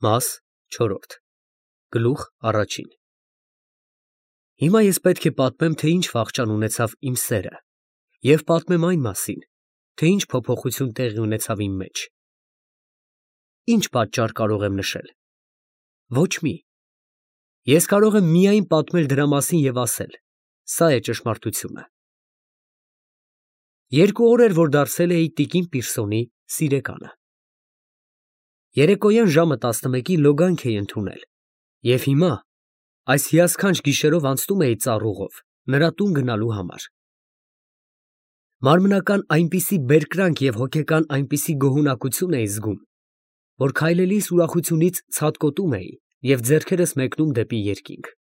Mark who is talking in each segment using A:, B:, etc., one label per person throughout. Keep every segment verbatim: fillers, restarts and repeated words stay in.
A: Մաս չորրորդ Գլուխ առաջին Հիմա ես պետք է պատմեմ, թե ինչ վախճան ունեցավ իմ սերը և պատմեմ այն մասին, թե ինչ փոփոխություն տեղի ունեցավ իմ մեջ։ Ինչ պատճառ կարող եմ նշել։ Ոչ մի։ Ես կարող եմ միայն պատմել դրա մասին և ասել. սա է ճշմարտությունը։ Երկու օր էր, որ դարձել էի տիկին Պիրսոնի սիրեկանը։ Երեկոյան ժամը տասնմեկի լոգանք էի ընդունել և հիմա այս հիասքանչ գիշերով անցնում էի ծառուղով նրա տուն գնալու համար։ Մարմնական այնպիսի բերկրանք և հոգեկան այնպիսի գոհունակություն էի զգում, որ քայլելիս ուրախությունից ցատկոտում էի և ձեռքերս մեկնում դեպի երկինք։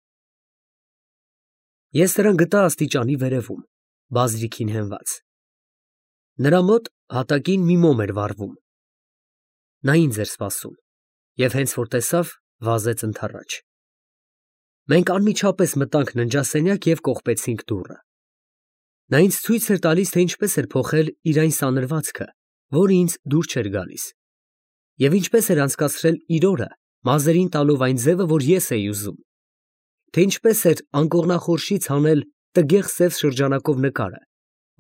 A: Ես նրան գտա աստիճանի վերևում, բազրիքին հենված։ Նրա մոտ հատակին մի մոմ էր վառվում։ Նա ինձ էր սպասում և հենց որ տեսավ, վազեց ընդառաջ։ Մենք անմիջապես մտանք ննջասենյակ և կողպեցինք դուռը։ Նա ինձ ցույց էր տալիս, թե ինչպես էր փոխել իր այն սանրվածքը, որը ինձ դուր չէր գալիս, և ինչպես էր անցկացրել իր օրը, մազերին տալով այն ձևը, որ ես էի ուզում, թե ինչպես էր անկողնախորշից հանել տգեղ սև շրջանակով նկարը,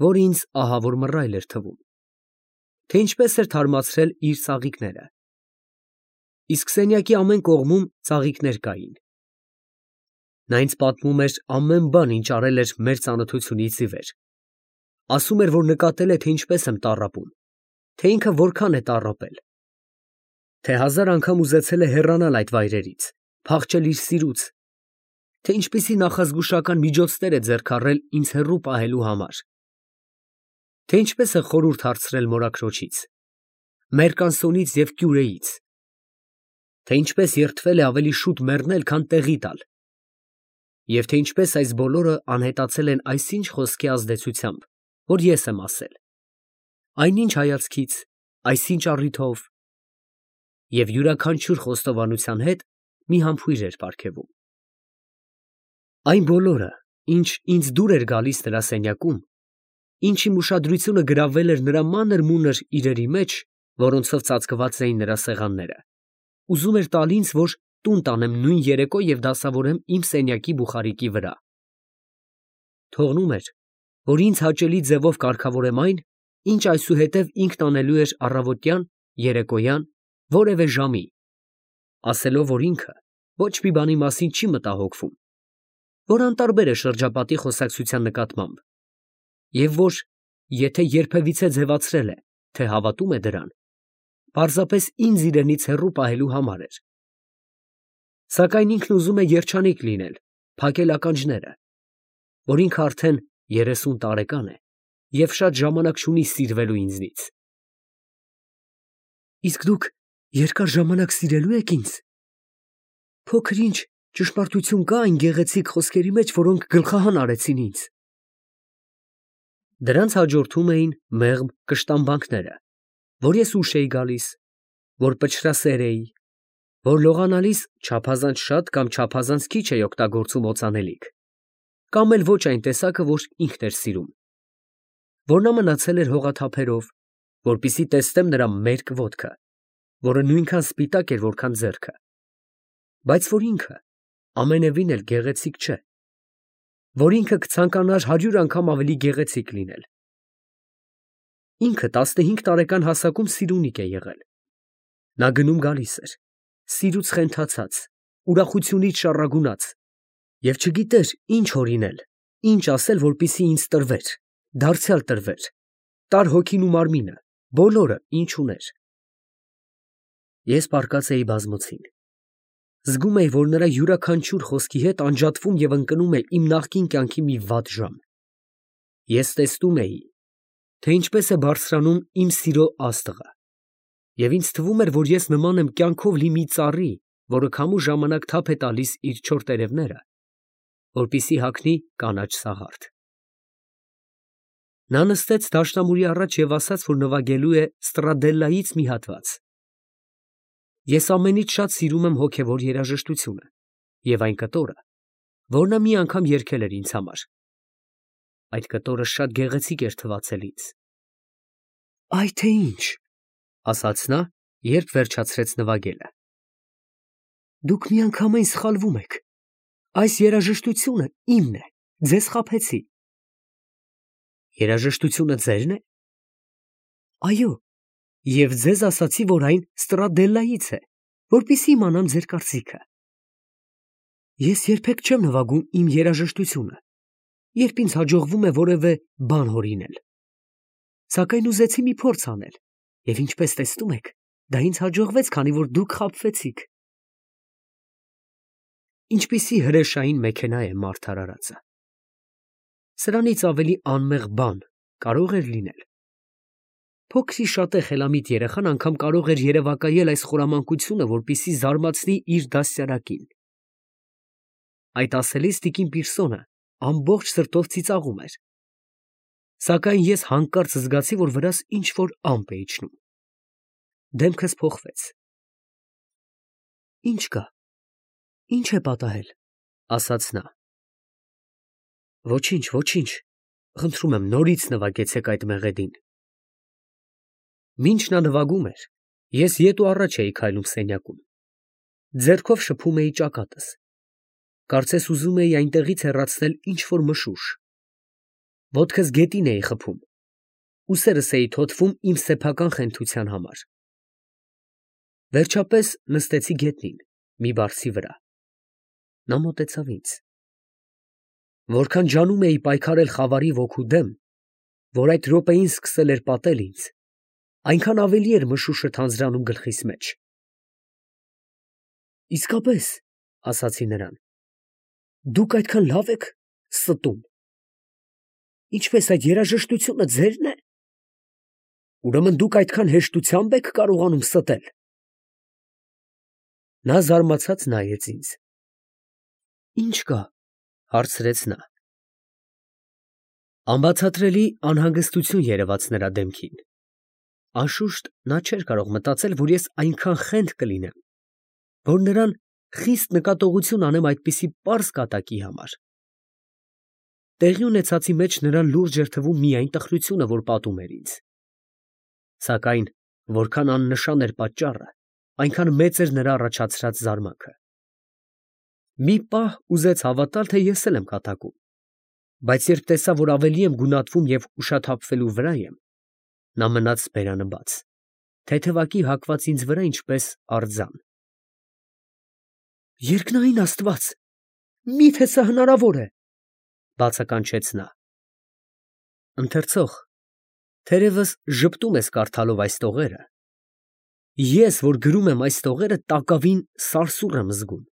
A: որը ինձ ահավոր մռայլ էր թվում, թե ինչպես էր թարմացրել իր ծաղիկները։ Իսկ սենյակի ամեն կողմում ծաղիկներ կային։ Նա ինձ պատմում էր ամեն բան, ինչ արել էր մեր ծանոթությունից ի վեր, ասում էր, որ նկատել է, թե ինչպես եմ տառապում, թե ինքը որքան է տառապել, թե հազար անգամ ուզեցել է հեռանալ այդ վայրերից, փախչել իր սիրուց, թե ինչպիսի նախազգուշական միջոցներ է ձեռք առել ինձ հեռու պահելու համար, թե ինչպես է խորհուրդ հարցրել մորաքրոջից, մերկանսոնից և կյուրեից, թե ինչպես երդվել է ավելի շուտ մեռնել, քան տեղի տալ, և թե ինչպես այս բոլորը անհետացել են այսինչ խոսքի ազդեցությամբ, որ ես եմ ասել, այնինչ հայացքից, այսինչ առիթով, և յուրաքանչյուր խոստովանության հետ մի համբույր էր պարգևում։ Այն բոլորը, ինչ ինձ դուր էր գալիս նրա սենյակում, ինչ իմ ուշադրությունը գրավել էր նրա մանր֊մունր իրերի մեջ, որոնցով ծածկված էին նրա սեղանները, ուզում էր տալ ինձ, որ տուն տանեմ նույն երեկո և դասավորեմ իմ սենյակի բուխարիկի վրա։ Թողնում էր, որ ինձ հաճելի ձևով կարգավորեմ այն, ինչ այսուհետև ինքն անելու էր առավոտյան, երեկոյան, որևէ ժամի, ասելով, որ ինքը ոչ մի բանի մասին չի մտահոգվում, որ անտարբեր է շրջապատի խոսակցության նկատմամբ, և որ եթե երբևիցե ձևացրել է, թե հավատում է դրան, պարզապես ինձ իրենից հեռու պահելու համար էր։ Սակայն ինքն ուզում է երջանիկ լինել, փակել ականջները, որ ինքը արդեն երեսուն տարեկան է և շատ ժամանակ չունի սիրվելու ինձնից։ Իսկ դուք երկար ժամանակ սիրելո՞ւ եք ինձ։ Փոքր ինչ ճշմարտություն կա այն գեղեցիկ խոսքերի մեջ, որոնք գլխահան արեցին ինձ։ Դրանց հաջորդում էին մեղմ կշտամբանքները, որ ես ուշ էի գալիս, որ պչրասեր էի, որ լողանալիս չափազանց շատ կամ չափազանց քիչ էի օգտագործում օծանելիք, կամ էլ ոչ այն տեսակը, որ ինքն էր սիրում, որ նա մնացել էր հողաթափերով, որպեսզի տեսնեմ նրա մերկ ոտքը, որը նույնքան սպիտակ էր, որքան ձեռքը, բայց որ ինքը ամենևին էլ գեղեցիկ չէ, որ ինքը կցանկանար հարյուր անգամ ավելի գեղեցիկ լինել։ Ինքը տասնհինգ տարեկան հասակում սիրունիկ է եղել։ Նա գնում֊գալիս էր, սիրուց խենթացած, ուրախությունից շառագունած, և չգիտեր ինչ հորինել, ինչ ասել, որպեսզի ինձ տրվեր, դարձյալ տրվեր, տար հոգին ու մարմինը, բոլորը, ինչ ուներ։ Ես պառկած էի բազմոցին։ Զգում էի, որ նրա յուրաքանչյուր խոսքի հետ անջատվում և ընկնում է իմ նախկին կյանքի մի վատ ժամ։ Ես տեսնում էի, թե ինչպես է բարձրանում իմ սիրո աստղը, և ինձ թվում էր, որ ես նման եմ կյանքով լի մի ծառի, որը քամու ժամանակ թափ է տալիս իր չոր տերևները, որպեսզի հագնի կանաչ սաղարթ։ Նա նստեց դաշնամուրի առաջ և ասաց, որ նվագելու է Ստրադելլայից մի հատված։ Ես ամենից շատ սիրում եմ հոգևոր երաժշտությունը և այն կտորը, որ նա մի անգամ երգել էր ինձ համար։ Այդ կտորը շատ գեղեցիկ էր թվացել ինձ։ Այ թե ինչ, ասաց նա, երբ վերջացրեց նվագելը։ Դուք միանգամայն սխալվում եք։ Այս երաժշտությունը իմն է, ձեզ խաբեցի։ Երաժշտությունը ձերն է։ Այո, եւ ձեզ ասացի, որ այն Ստրադելլայից է, որպեսզի իմանամ ձեր կարծիքը։ Ես երբեք չեմ նվագում իմ երաժշտությունը, երբ ինձ հաջողվում է որևէ բան հորինել։ Սակայն ուզեցի մի փորձ անել, եւ ինչպես տեսնում եք, դա ինձ հաջողվեց, քանի որ դուք խաբվեցիք։ Ինչպիսի հրեշային մեքենա է մարդ արարածը։ Սրանից ավելի անմեղ բան կարող էր լինել։ Փոքրի շատ է խելամիտ երեխան անգամ կարող էր երևակայել այս խորամանկությունը, որպեսզի զարմացնի իր դաստիարակին։ Այդ ասելիս տիկին Պիրսոնը ամբողջ սրտով ծիծաղում էր։ Սակայն ես հանկարծ զգացի, որ վրաս ինչ-որ ամպ է իջնում։ Դեմքս փոխվեց։ Ինչ կա, ինչ է պատահել, ասաց նա։ Ոչինչ, ոչինչ, խնդրում եմ, նորից նվագեցեք այդ մեղեդին։ Մինչ նա նվագում էր, ես ետ ու առաջ էի քայլում սենյակում։ Ձեռքով շփում էի ճակատս։ Կարծես ուզում էի այնտեղից հեռացնել ինչ-որ մշուշ։ Ոտքս գետին էի խփում, ուսերս էի թոթվում իմ սեփական խենթության համար։ Վերջապես նստեցի գետնին, մի բարձի վրա։ Նա մոտեցավ ինձ։ Որքան ջանում էի պայքարել խավարի ոգու դեմ, որ այդ րոպեին սկսել էր պատել ինձ, այնքան ավելի էր մշուշը թանձրանում գլխիս մեջ։ Իսկապես, ասացի նրան, դուք այդքան լավ եք ստում։ Ինչպես այդ երաժշտությունը ձերն է։ Ուրեմն դուք այդքան հեշտությամբ եք կարողանում ստել։ Նա զարմացած նայեց ինձ։ Ինչ կա, հարցրեց նա։ Անբացատրելի անհանգստություն երևաց նրա դեմքին։ Անշուշտ նա չէր կարող մտածել, որ ես այնքան խենթ կլինեմ, որ նրան խիստ նկատողություն անեմ այդպիսի պարզ կատակի համար։ Տեղի ունեցածի մեջ նրան լուրջ էր թվում միայն տխրությունը, որ պատում էր ինձ։ Սակայն որքան աննշան էր պատճառը, այնքան մեծ էր նրա առաջացրած զարմանքը։ Մի պահ ուզեց հավատալ, թե ես էլ եմ կատակում, բայց երբ տեսա, որ ավելի եմ գունատվում և ուշաթափվելու վրա եմ, նա մնաց բերանը բաց, թեթևակի հակված ինձ վրա, ինչպես արձան։ Երկնային Աստված, մի՞թե սա հնարավոր է, բացականչեց նա։ Ընթերցող, թերևս ժպտում ես կարդալով այս տողերը։ Ես, որ գրում եմ այս տողերը, տակավին սարսուռ եմ զգում։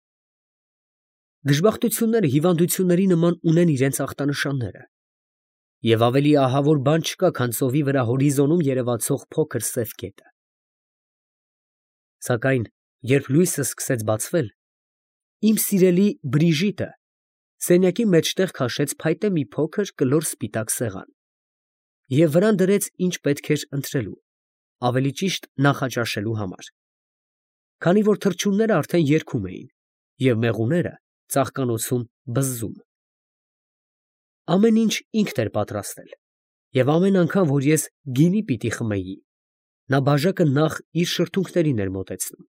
A: Դժբախտությունները հիվանդությունների նման ունեն իրենց ախտանշանները, և ավելի ահավոր բան չկա, քան ծովի վրա հորիզոնում երևացող փոքր սև կետը։ Սակայն երբ լույսը սկսեց բացվել, իմ սիրելի Բրիժիտը սենյակի մեջտեղ քաշեց փայտե մի փոքր կլոր սպիտակ սեղան և վրան դրեց ինչ պետք էր ընտրելու, ավելի ճիշտ նախաճաշելու համար, քանի որ թռչունները արդեն երգում էին և մեղուները ծաղկանոցում բզզում։ Ամեն ինչ ինքն էր պատրաստել, և ամեն անգամ, որ ես գինի պիտի խմեի, նա բաժակը նախ իր շրթունքներին էր մոտեցնում։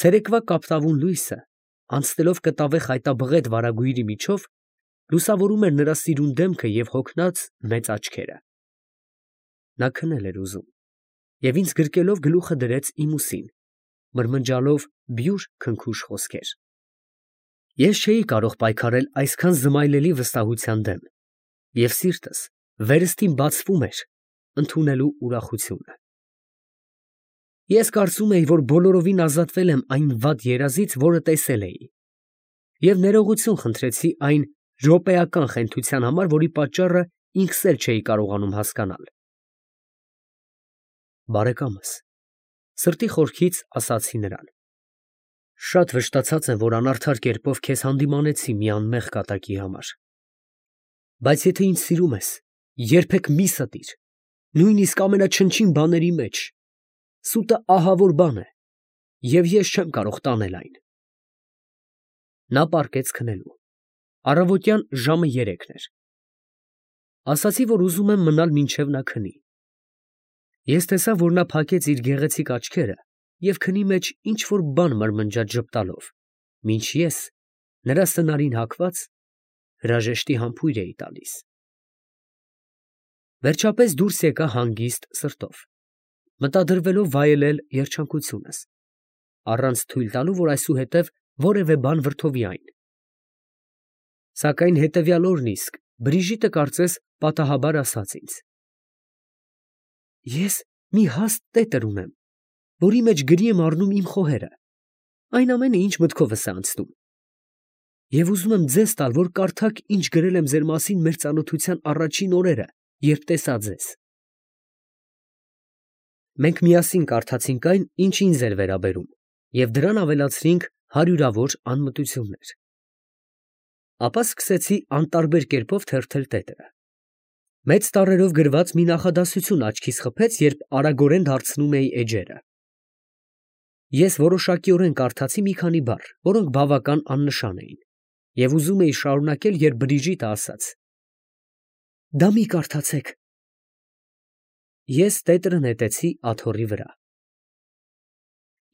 A: Ցերեկվա կապտավուն լույսը, անցնելով կտավե խայտաբղետ վարագույրի միջով, լուսավորում էր նրա սիրուն դեմքը և հոգնած մեծ աչքերը։ Նա քնել էր ուզում և ինձ գրկելով գլուխը դրեց իմ ուսին, մրմնջալով բյուր քնքուշ խոսքեր։ Ես չէի կարող պայքարել այսքան զմայլելի վստահության դեմ, և սիրտս վերստին բացվում էր ընդունելու ուրախությունը։ Ես կարծում էի, որ բոլորովին ազատվել եմ այն վատ երազից, որը տեսել էի, և ներողություն խնդրեցի այն րոպեական խենթության համար, որի պատճառը ինքս էլ չէի կարողանում հասկանալ։ Բարեկամս, սրտի խորքից ասացի նրան, շատ վշտացած եմ, որ անարդար կերպով քեզ հանդիմանեցի մի անմեղ կատակի համար, բայց եթե ինձ սիրում ես, երբեք մի ստիր, նույնիսկ ամենաչնչին բաների մեջ, սուտը ահավոր բան է, և ես չեմ կարող տանել այն։ Նա պառկեց քնելու, առավոտյան ժամը երեքն էր։ Ասացի, որ ուզում եմ մնալ մինչև նա քնի։ Ես տեսա, որ նա փակեց իր գեղեցիկ աչքերը և քնի մեջ ինչ-որ բան մրմնջաց ժպտալով, մինչ ես, նրա սնարին հագված, հրաժեշտի համբույր էի տալիս։ Վերջապես դուրս եկա հանգիստ սրտով, մտադրվելով վայելել երջանկությունս, առանց թույլ տալու, որ այսուհետև որևէ բան վրդովի այն։ Սակայն հետևյալ օրն իսկ Բրիժիտը կարծես պատահաբար ասաց ինձ. «Ես մի հաստ տետր ունեմ, որի մեջ գրի եմ առնում իմ խոհերը, այն ամենը, ինչ մտքովս է անցնում, և ուզում եմ ձեզ տալ, որ կարդաք, ինչ գրել եմ ձեր մասին մեր ծանոթության առաջին օրերը, երբ տեսա ձեզ»։ Մենք միասին կարդացինք այն, ինչ ինձ էր վերաբերում, և դրան ավելացրինք հարյուրավոր անմտություններ։ Ապա սկսեցի անտարբեր կերպով թերթել տետրը։ Մեծ տառերով գրված մի նախադասություն աչքիս խփեց, երբ արագորեն դարձնում էի էջերը։ Ես որոշակիորեն կարդացի մի քանի բառ, որոնք բավական աննշան էին, և ուզում էի շարունակել, երբ Բրիժիտը ասաց. «Դա մի կարդացեք»։ Ես տետրը նետեցի աթոռի վրա։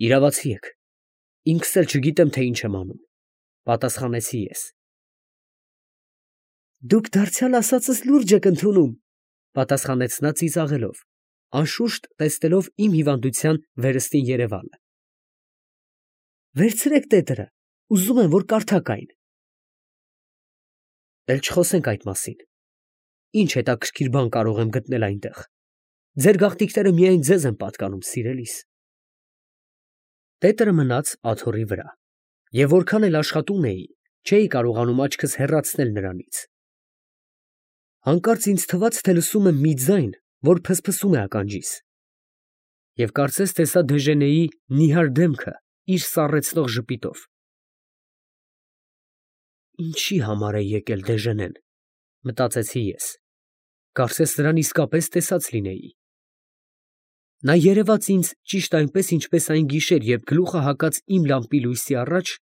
A: «Իրավացի եք, ինքս էլ չգիտեմ, թե ինչ եմ անում», պատասխանեցի ես։ «Դուք դարձյալ ասածս լուրջ եք ընդունում», պատասխանեց նա ծիծաղելով, անշուշտ տեսնելով իմ հիվանդության վերստին երևալը։ «Վերցրեք տետրը, ուզում եմ, որ կարդաք այն»։ «Էլ չխոսենք այդ մասին, ինչ հետաքրքիր բան կարող եմ գտնել այնտեղ, ձեր գաղտնիքները միայն ձեզ են պատկանում, սիրելիս»։ Տետրը մնաց աթոռի վրա, և որքան էլ աշխատում էի, չէի կարողանում աչքս հեռացնել նրանից։ Հանկարծ ինձ թվաց, թե լսում եմ մի ձայն, որ փսփսում է ականջիս, և կարծես տեսա Դեժենեի նիհար դեմքը իր սառեցնող ժպիտով։ «Ինչի համար է եկել Դեժենեն», մտածեցի ես, կարծես նրան իսկապես տեսած լինեի։ Նա երևաց ինձ ճիշտ այնպես, ինչպես այն գիշեր, երբ գլուխը հագած իմ լամպի լույսի առաջ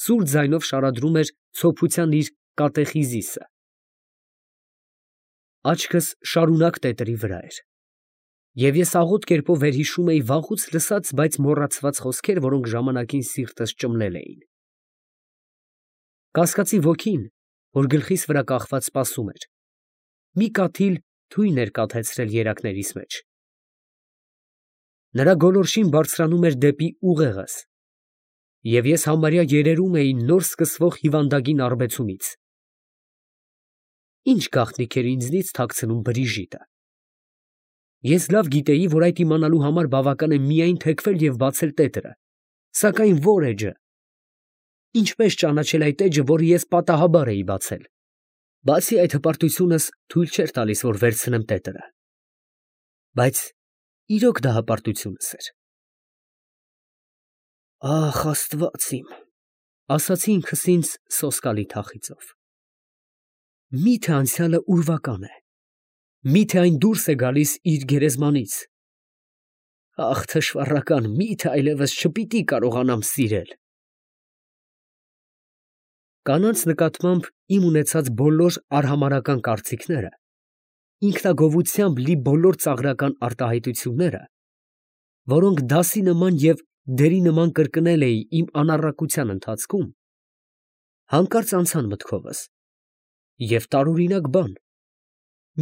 A: սուր ձայնով շարադրում էր ցոփության իր կատեխիզիսը։ Աչքս շարունակ տետրի վրա էր, և ես աղոտ կերպով վերհիշում էի վաղուց լսած, բայց մոռացված խոսքեր, որոնք ժամանակին սիրտս ճմլել էին։ Կասկածի ոգին, որ գլխիս վրա կախված սպասում էր, մի կաթիլ թույն էր կաթեցրել երակներիս մեջ։ Նրա գոլորշին բարձրանում էր դեպի ուղեղս, և ես համարյա երերում էի նոր սկսվող հիվանդագին արբեցումից։ Ի՞նչ գաղտնիք էր ինձնից թաքցնում Բրիժիտը։ Ես լավ գիտեի, որ այդ իմանալու համար բավական է միայն թեքվել և բացել տետրը, սակայն ո՞ր էջը։ Ինչպես ճանաչել այդ էջը, որը ես պատահաբար էի բացել։ Բացի այդ, հպարտությունս թույլ չէր տալիս, որ վերցնեմ տետրը։ Բայց իրոք դա հպարտությունս էր։ «Ախ, Աստված իմ», ասացի ինքս ինձ սոսկալի թախիծով։ Մի՞թե անցյալը ուրվական է, մի՞թե այն դուրս է գալիս իր գերեզմանից։ Ախ, թշվառական, մի՞թե այլևս չպիտի կարողանամ սիրել։ Կանանց նկատմամբ իմ ունեցած բոլոր արհամարհական կարծիքները, ինքնագովությամբ լի բոլոր ծաղրական արտահայտությունները, որոնք դասի նման և դերի նման կրկնել էի իմ անառակության ընթացքում, հանկարծ անցան մտքովս, և տարօրինակ բան,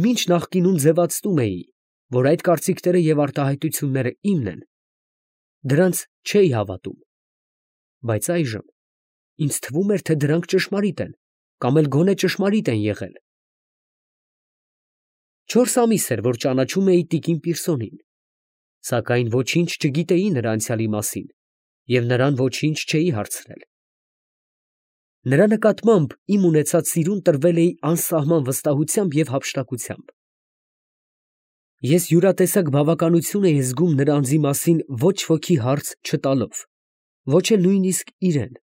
A: մինչ նախկինում ձևացնում էի, որ այդ կարծիքները և արտահայտությունները իմն են, դրանց չէի հավատում, բայց այժմ ինձ թվում էր, թե դրանք ճշմարիտ են, կամ էլ գոնե ճշմարիտ են եղել։ Չորս ամիս էր, որ ճանաչում էի տիկին Պիրսոնին, սակայն ոչինչ չգիտեի նրա անցյալի մասին և նրան ոչինչ չէի հարցրել։ Նրա նկատմամբ իմ ունեցած սիրուն տրվել էի անսահման վստահությամբ և հափշտակությամբ։ Ես յուրատեսակ բավականություն էի զգում նրա անձի մասին ոչ ոքի հարց չտալով, ոչ էլ նույնիսկ իրան։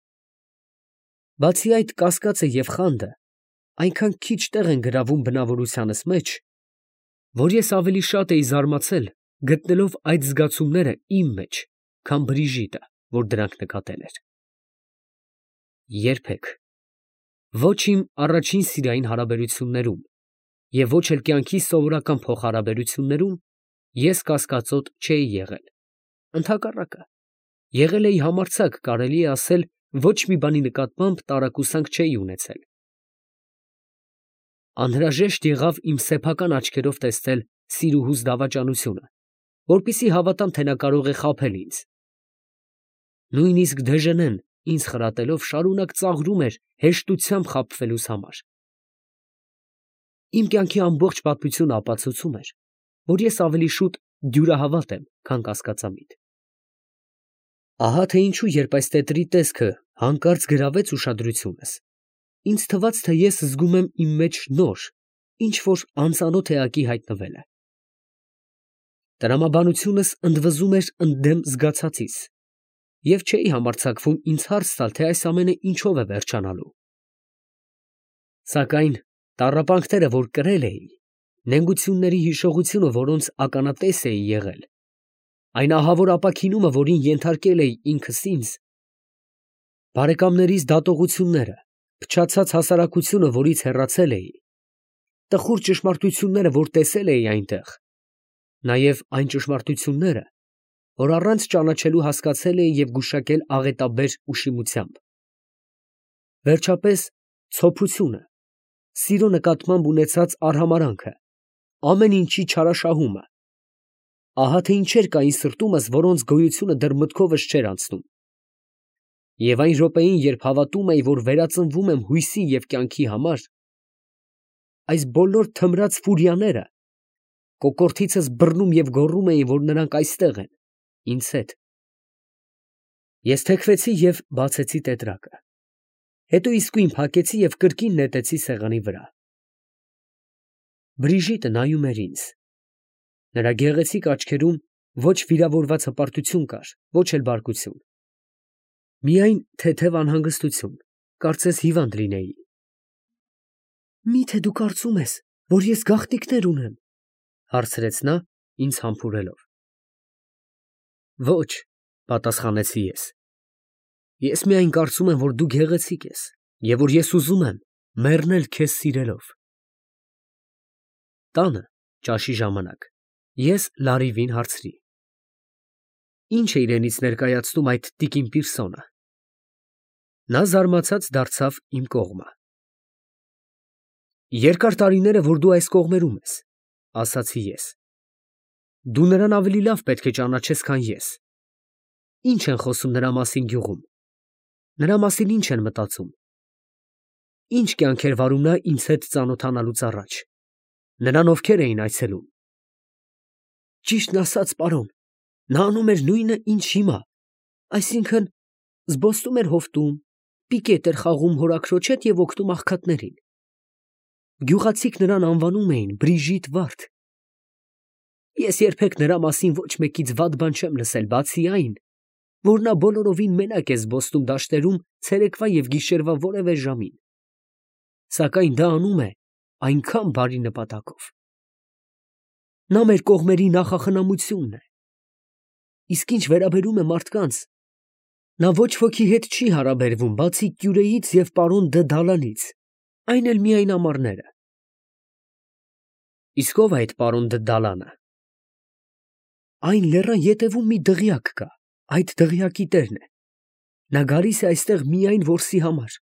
A: Բացի այդ, կասկածը և խանդը այնքան քիչ տեղ են գրավում բնավորությանս մեջ, որ ես ավելի շատ էի զարմացել, գտնելով այդ զգացումները իմ մեջ, քան Բրիժիտը, որ դրանք նկատել էր։ Երբեք, ոչ իմ առաջին սիրային հարաբերություններում և ոչ էլ կյանքիս սովորական փոխհարաբերություններում ես կասկածոտ չէի եղել, ընդհակառակը, Եղել էի համարձակ, կարելի է ասել, ոչ մի բանի նկատմամբ տարակուսանք չէի ունեցել։ Անհրաժեշտ եղավ իմ սեփական աչքերով տեսնել Սիրուհուս դավաճանությունը, որպեսզի հավատամ, թե նա կարող է խաբել ինձ։ Նույնիսկ Դեժենեն ինձ խրատելով շարունակ ծաղրում էր հեշտությամբ խաբվելուս համար։ Իմ կյանքի ամբողջ պատմությունը ապացուցում էր, որ ես ավելի շուտ դյուրահավատ եմ, քան կասկածամիտ։ Ահա թե ինչու, երբ այս տետրի տեսքը հանկարծ գրավեց ուշադրությունս, ինձ թվաց, թե ես զգում եմ իմ մեջ նոր, ինչ որ անծանոթ էակի հայտնվելը։ Տրամաբանությունս ընդվզում էր ընդդեմ զգացածիս, և չէի համարձակվում ինձ հարց տալ, թե այս ամենը ինչով է վերջանալու։ Սակայն տառապանքները, որ կրել էի, նենգությունների հիշողությունը, որոնց ականատես էի եղել, այն ահավոր ապաքինումը, որին ենթարկել էի ինքս ինձ, բարեկամներիս դատողությունները, փչացած հասարակությունը, որից հեռացել էի, տխուր ճշմարտությունները, որ տեսել էի այնտեղ, նաև այն ճշմարտությունները, որ առանց ճանաչելու հասկացել էի և գուշակել աղետաբեր ուշիմությամբ, վերջապես ցոփությունը, սիրո նկատմամբ ունեցած արհամարհանքը, ամեն ինչի չարաշահումը, ահա թե ինչեր կային սրտումս, որոնց գոյությունը դեռ մտքովս չէր անցնում։ Եվ այն րոպեին, երբ հավատում էի, որ վերածնվում եմ հույսի և կյանքի համար, այս բոլոր թմրած ֆուրիաները կոկորդիցս բռնում և գոռում էին, որ նրանք այստեղ են, ինձ հետ։ Ես թեքվեցի և բացեցի տետրակը, հետո իսկույն փակեցի և կրկին նետեցի սեղանի վրա։ Բրիժիտը նայում էր ինձ, նրա գեղեցիկ աչքերում ոչ վիրավորված հպարտություն կար, ոչ էլ բարկություն, միայն թեթև անհանգստություն, կարծես հիվանդ լինեի։ Մի՞թե դու կարծում ես, որ ես գաղտնիքներ ունեմ, հարցրեց նա, ինձ համբուրելով։ Ոչ, պատասխանեցի ես, ես միայն կարծում եմ, որ դու գեղեցիկ ես և որ ես ուզում եմ մեռնել քեզ սիրելով։ Տանը, ճաշի ժամանակ, ես լարիվին հարցրի. Ի՞նչ է իրենից ներկայացնում այդ տիկին Պիրսոնը։ Նա զարմացած դարձավ իմ կողմը։ Երկար տարիներ է, որ դու այս կողմերում ես, ասացի ես։ Դու նրան ավելի լավ պետք է ճանաչես, քան ես։ Ի՞նչ են խոսում նրա մասին գյուղում։ Նրա մասին ի՞նչ են մտածում։ Ի՞նչ կյանք էր վարում նա ինձ հետ ծանոթանալուց առաջ։ Նրան ովքեր էին այցելում։ Ճիշտն ասած, պարոն, նա անում էր նույնը, ինչ հիմա, այսինքն զբոսնում էր հովտում, պիկետ էր խաղում հորաքրոջ հետ և օգնում աղքատներին։ Գյուղացիք նրան անվանում էին Բրիժիտ վարդ։ Ես երբեք նրա մասին ոչ մեկից վատ բան չեմ լսել, բացի այն, որ նա բոլորովին մենակ է զբոսնում դաշտերում ցերեկվա և գիշերվա որևէ ժամին, սակայն դա անում է այնքան բարի նպատակով։ Նա մեր կողմերի նախախնամությունն է։ Իսկ ինչ վերաբերում է մարդկանց, նա ոչ ոքի հետ չի հարաբերվում, բացի կյուրեից և պարոն Դը Դալանից, այն էլ միայն ամառները։ Իսկ ո՞վ է այդ պարոն Դը Դալանը։ Այն լեռան ետևում մի դղյակ կա, այդ դղյակի տերն է։ Նա գալիս է այստեղ միայն որսի համար։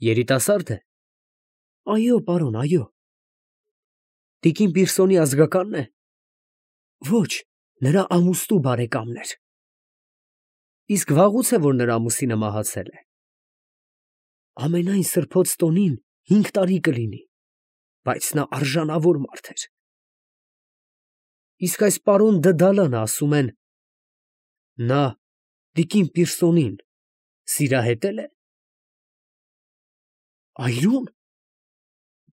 A: Երիտասարդ է։ Այո, պարոն, այո։ Տիկին Պիրսոնի ազգակա՞նն է։ Ոչ, նրա ամուսնու բարեկամն էր։ Իսկ վաղուց է, որ նրա ամուսինը մահացել է։ Ամենայն սրբոց տոնին հինգ տարի կլինի, բայց նա արժանավոր մարդ էր։ Իսկ այս պարոն Դը Դալանը, ասում են, նա տիկին Պիրսոնին սիրահետել է։ Այրո՞ւն։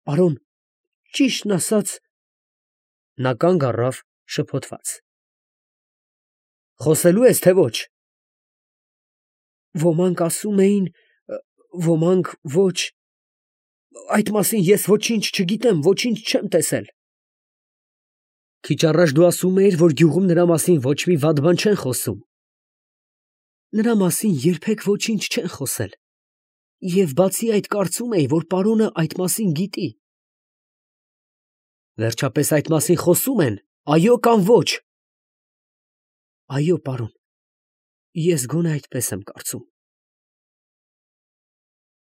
A: Պարոն, ճիշտն ասած… Նա կանգ առավ շփոթված։ Խոսելո՞ւ ես, թե ոչ։ Ոմանք ասում էին, ոմանք ոչ… Այդ մասին ես ոչինչ չգիտեմ, ոչինչ չեմ տեսել։ Քիչ առաջ դու ասում էիր, որ գյուղում նրա մասին ոչ մի վատ բան չեն խոսում։ Նրա մասին երբեք ոչինչ չեն խոսել, և բացի այդ կարծում էի, որ պարոնը այդ մասին գիտի։ Վերջապես այդ մասին խոսում են, այո՞ կամ ոչ։ Այո, պարոն, Ես գոնե այդպես եմ կարծում։